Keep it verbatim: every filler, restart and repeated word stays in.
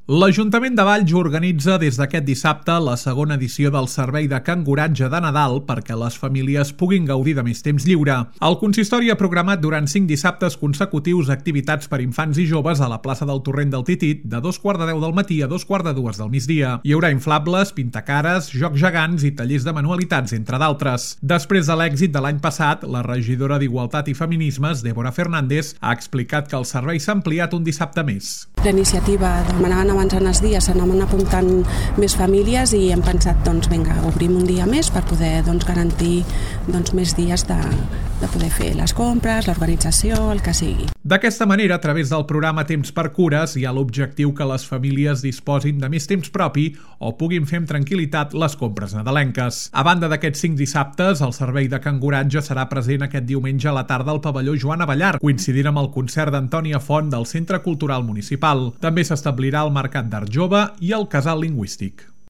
L'Ajuntament de Valls organitza des d'aquest dissabte la segona edició del servei de canguratge de Nadal perquè les famílies puguin gaudir de més temps lliure. El consistori ha programat durant cinc dissabtes consecutius activitats per infants i joves a la plaça del Torrent del Titit de dos quarts de deu del matí a dos quarts de dues del migdia. Hi haurà inflables, pintacares, jocs gegants i tallers de manualitats, entre d'altres. Després de l'èxit de l'any passat, la regidora d'Igualtat i Feminismes, Débora Fernández, ha explicat que el servei s'ha ampliat un dissabte més. La iniciativa demanaven avançant els dies, s'anaven apuntant més famílies i hem pensat, doncs vinga, obrim un dia més per poder doncs, garantir doncs, més dies de, de poder fer les compres, l'organització, el que sigui. D'aquesta manera, a través del programa Temps per Cures, hi ha l'objectiu que les famílies disposin de més temps propi o puguin fer amb tranquil·litat les compres nadalenques. A banda d'aquests cinc dissabtes, el servei de canguratge serà present aquest diumenge a la tarda al pavelló Joan Abellar, coincidint amb el concert d'Antònia Font del Centre Cultural Municipal. També s'establirà el Mercat d'Art Jove i el Casal Lingüístic.